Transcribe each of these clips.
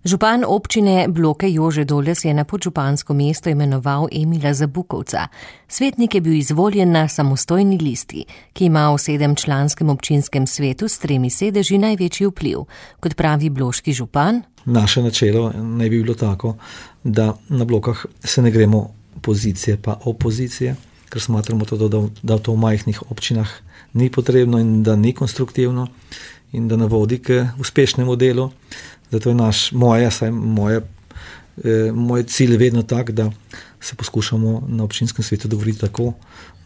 Župan občine Bloke Jože Doles je na podžupansko mesto imenoval Emila Zabukovca. Svetnik je bil izvoljen na samostojni listi, ki ima v 7-članskem občinskem svetu s 3 sedeži največji vpliv. Kot pravi bloški župan: naše načelo ne bi bilo tako, da na Blokah se ne gremo pozicije pa opozicije, ker smatramo to, da to v majhnih občinah ni potrebno in da ni konstruktivno in da ne vodi k uspešnemu delu. Zato je moj cilj vedno tak, da se poskušamo na občinskem svetu dogovoriti tako,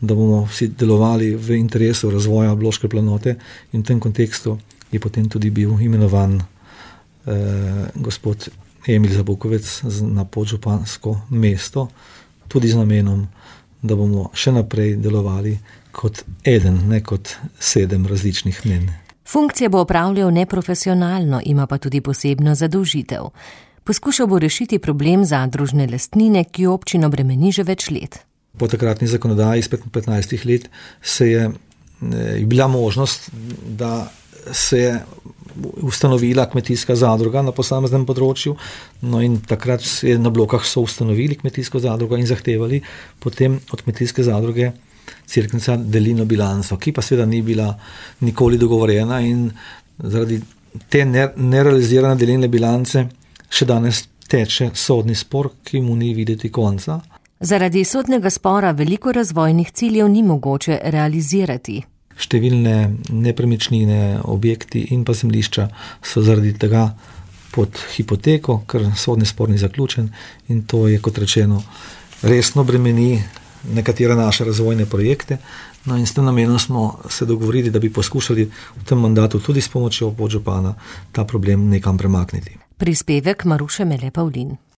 da bomo vsi delovali v interesu razvoja Bloške planote, in v tem kontekstu je potem tudi bil imenovan gospod Emil Zabukovec na podžupansko mesto, tudi z namenom, da bomo še naprej delovali kot eden, ne kot 7 različnih mnen. Funkcije bo opravljal neprofesionalno, ima pa tudi posebno zadolžitev. Poskušal bo rešiti problem zadružne lastnine, ki občino bremeni že več let. Po takratni zakonodaji iz 15 let je bila možnost, da se je ustanovila kmetijska zadruga na posameznem področju, no in takrat se na Blokah so ustanovili kmetijsko zadrugo in zahtevali potem od kmetijske zadruge Cerknica delino bilanco, ki pa seveda ni bila nikoli dogovorjena, in zaradi te nerealizirane delilne bilance še danes teče sodni spor, ki mu ni videti konca. Zaradi sodnega spora veliko razvojnih ciljev ni mogoče realizirati. Številne nepremičnine, objekti in pa zemljišča so zaradi tega pod hipoteko, ker sodni spor ni zaključen, in to je, kot rečeno, resno bremeni nekatere naše razvojne projekte. No in s tem namenom smo se dogovorili, da bi poskušali v tem mandatu tudi s pomočjo podžupana ta problem nekam premakniti. Prispevek Maruše Mele Pavlin.